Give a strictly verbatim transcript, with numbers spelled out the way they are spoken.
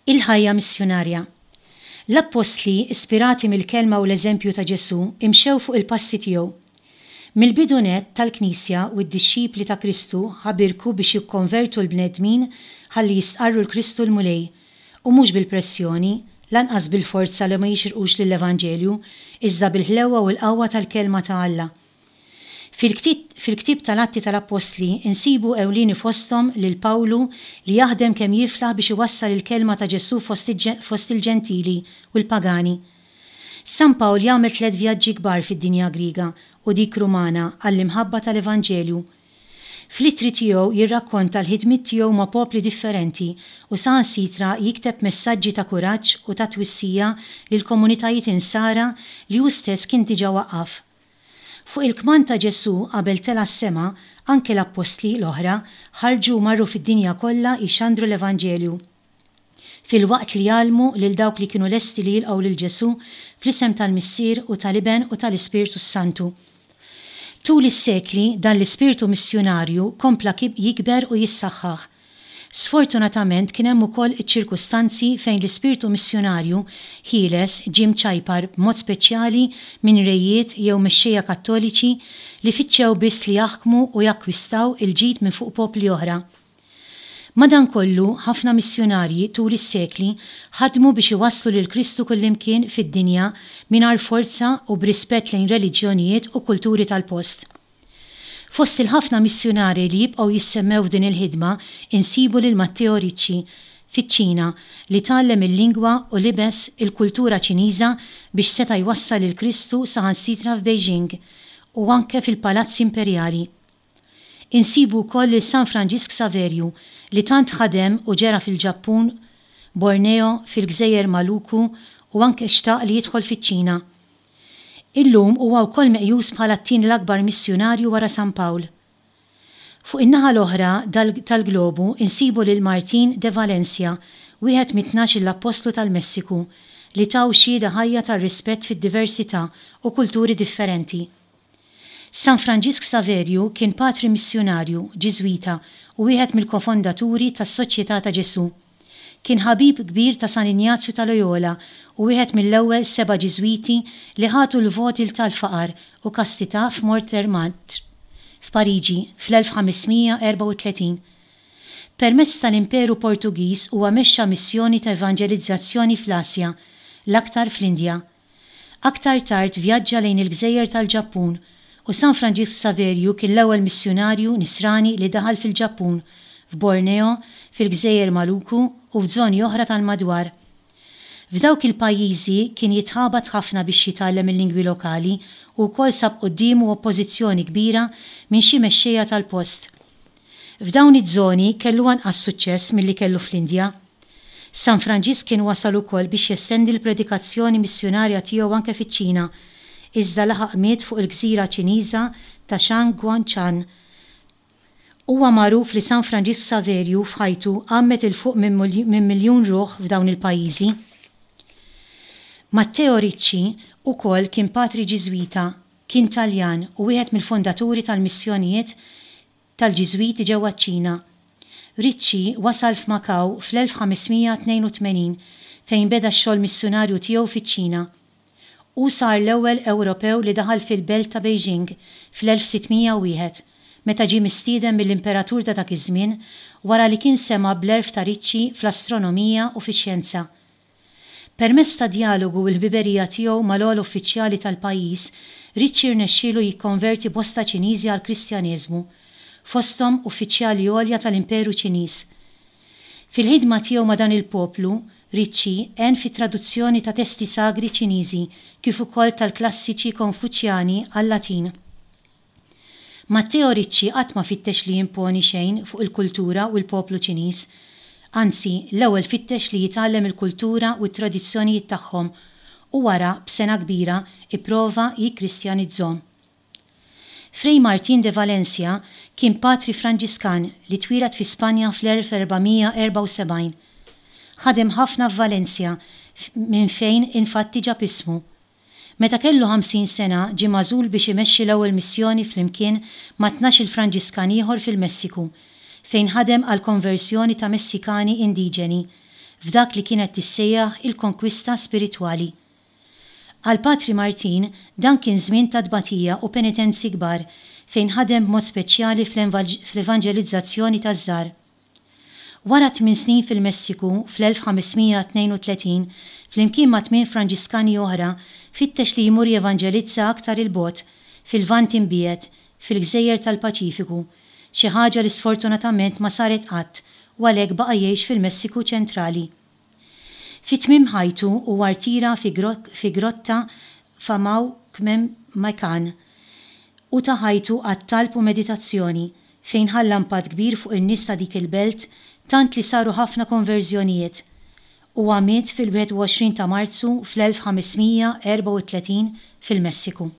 Il-ħajja missjunarja. L-Appostli, ispirati mill-kelma u l-eżempju ta' Ġesù, imxew fuq il-passi tiegħu. Mill-bidu nett tal-Knisja u d-dixxipli ta' Kristu ħabirku biex jikkonvertu l-bnedmin ħalli jistqarru 'l Kristu l-Mulej, u mhux bil-pressjoni, lanqas bil-forza li ma jixirqux lill-Evanġelju, iżda bil-ħlewwa u l-qawwa tal-Kelma ta' Alla. Fil-ktieb tal-Atti tal-Appostli insibu ewlieni fosthom lil Pawlu li jaħdem kemm jiflaħ biex iwassal il-kelma ta' Ġesù fost il-Ġentili u l-pagani. San Pawl jagħmel tliet vjaġġi kbar fid-dinja Griega u dik Rumana għall-imħabba tal-Evanġelju. Fl-ittri tiegħu jirrakkonta l-ħidmiet tiegħu ma' popli differenti u saħansitra jikteb messaġġi ta' kuraġġ u ta' twissija lil komunitajiet insara li hu stess kien diġà waqqaf. Fuq il-kmand ta' Ġesù qabel tela' s-sema, anke l-Appostli l-oħra ħarġu u marru fid-dinja kollha jxandru l-Evanġelju, filwaqt li jgħallmu lil dawk li kienu lesti li jilqgħu lil Ġesù fl-isem tal-Missier u tal-Iben u tal-Ispirtu s-Santu. Tul is-sekli dan l-ispirtu missjunarju kompla jikber u jissaħħaħ. Sfortunatament kien hemm ukoll iċ-ċirkustanzi fejn l-ispirtu missjunarju ħieles ġie mċajpar b'mod speċjali minn rejiet jew mexxejja Kattoliċi li fittxew biss li jaħkmu u jakkwistaw il-ġid minn fuq popli oħra. Madankollu, ħafna missjunarji tul is-sekli ħadmu biex iwasslu lil Kristu kullimkien fid-dinja mingħajr forza u b'rispett lejn reliġjonijiet u kulturi tal-post. Fost il-ħafna missjunarji li jibqgħu jissemmew f'din il-ħidma insibu lil Matteo Ricci fiċ-Ċina li tgħallem il-lingwa u libes il-kultura Ċiniża biex seta' jwassal lil Kristu saħansitra f'Beijing u anke fil-palazzi imperjali. Insibu wkoll lil San Franġisk Saverju li tant ħadem u ġera fil-Ġappun, Borneo, fil-Gżejjer Maluku u anke xtaq li jidħol fiċ-Ċina. Illum huwa wkoll meqjus bħala t-tieni l-akbar missjunarju wara San Pawl. Fuq in-naħa l-oħra tal-globu insibu lil Martin de Valencia, wieħed mit-tnax-il appostlu tal-Messiku, li taw xhieda ħajja tar-rispett fid-diversità u kulturi differenti. San Franġisk Saverju kien patri missjunarju, Ġiżwita u wieħed mill-kofondaturi tas-Soċjetà ta' Ġesù. Kien ħabib kbir ta' San Injazju ta' Loyola u wieħed mill-ewwel seba' Ġiżwiti li ħadu l-voti tal-faqar u kastità f'Montmartre, f'Pariġi, fl-elf ħames mija erbgħa u tletin. Permezz tal-Imperu Portugiż huwa mexxa missjoni ta' evanġelizzazzjoni fl-Asja, l-aktar fl-Indja. Aktar tard vjaġġa lejn il-Gżejjer tal-Ġappun u San Franġisk Saverju kien l-ewwel missjunarju nisrani li daħal fil-Ġappun, f'Borneo, fil-Gżejjer Maluku u f'żoni oħra tal-madwar. F'dawk il-pajjiżi kien jitħabat ħafna biex jitgħallem il-lingwi lokali u wkoll sab quddiemu oppożizzjoni kbira minn xi mexxejja tal-post. F'dawn iż-żoni kellu anqas suċċess milli kellu fl-Indja. San Franġisk kien wasal ukoll biex jestendi l-predikazzjoni missjunarja tiegħu anke fiċ-Ċina, iżda laħaq miet fuq il-gżira Ċiniża ta' Shangguanchan. Huwa magħruf li San Franġisk Saverju f'ħajtu għammed 'il fuq minn miljun ruħ f'dawn il-pajjiżi. Matteo Ricci ukoll kien patri Ġiżwita, kien Taljan u wieħed mill-fondaturi tal-missjonijiet tal-Ġiżwiti ġewwa ċ-Ċina. Ricci wasal f'Makaw fl-elf ħames mija tnejn u tmenin fejn beda x-xogħol missjunarju tiegħu fiċ-Ċina. Hu sar l-ewwel Ewropew li daħal fil-belt ta' Beijing fl-elf sitt mija u wieħed, meta ġie mistieden mill-imperatur ta' dak iż-żmien wara li kien sema' bl-għerf ta' Ricci fl-astronomija u fix-xjenza. Permezz ta' dialogu u l-ħbiberija tiegħu mal-ogħla uffiċjali tal-pajjiż, Ricci rnexxielu jikkonverti bosta Ċiniżi għall-Kristjaneżmu, fosthom uffiċjali għolja tal-Imperu Ċiniż. Fil-ħidma tiegħu ma' dan il-poplu, Ricci għen fit-traduzzjoni ta' testi sagri Ċiniżi kif ukoll tal-klassiċi Konfuċjani għal-Latin. Matteo Ricci qatt ma fittex li jimponi xejn fuq il-kultura u l-poplu Ċiniż. Anzi, l-ewwel fittex li jitgħallem il-kultura u t-tradizzjonijiet tagħhom u wara, b'sengħa kbira, ipprova jikkristjanizzhom. Fray Martin de Valencia kien patri Franġiskan li twieled fi Spanja fl-elf erba' mija erbgħa u sebgħin. Ħadem ħafna f'Valencia minn fejn infatti ġab ismu. Meta kellu ħamsin sena ġie magħżul biex imexxi l-ewwel missjoni flimkien ma' tnax-il Franġiskan ieħor fil-Messiku, fejn ħadem għal konversjoni ta' Messikani indiġeni, f'dak li kienet tissejjaħ il-konkwista spiritwali. Għal Patri Martin dan kien żmien ta' tbatija u penitenzi kbar fejn ħadem b'mod speċjali fl-evanġelizzazzjoni taż-żgħar. Wara tmien snin fil-Messiku fl-elf ħames mija tnejn u tletin, flimkien ma' tmien Franġiskani oħra, fittex li jmur jevanġelizza aktar 'il bogħod, fil-Lvant imbiegħed, fil-gżejjer tal-Paċifiku, xi ħaġa li sfortunatament ma saret qatt u għalhekk baqa' jgħix fil-Messiku ċentrali. Fi tmiem ħajtu huwa rtira fi grotta f'Amaucmemacan u ta ħajtu għat-talb u meditazzjoni, fejn ħalla impatt kbir fuq in-nies ta' dik il-belt tant li saru ħafna konverżjonijiet. Huwa miet fil-wieħed u għoxrin ta' Marzu fl-elf ħames mija erbgħa u tletin fil-Messiku.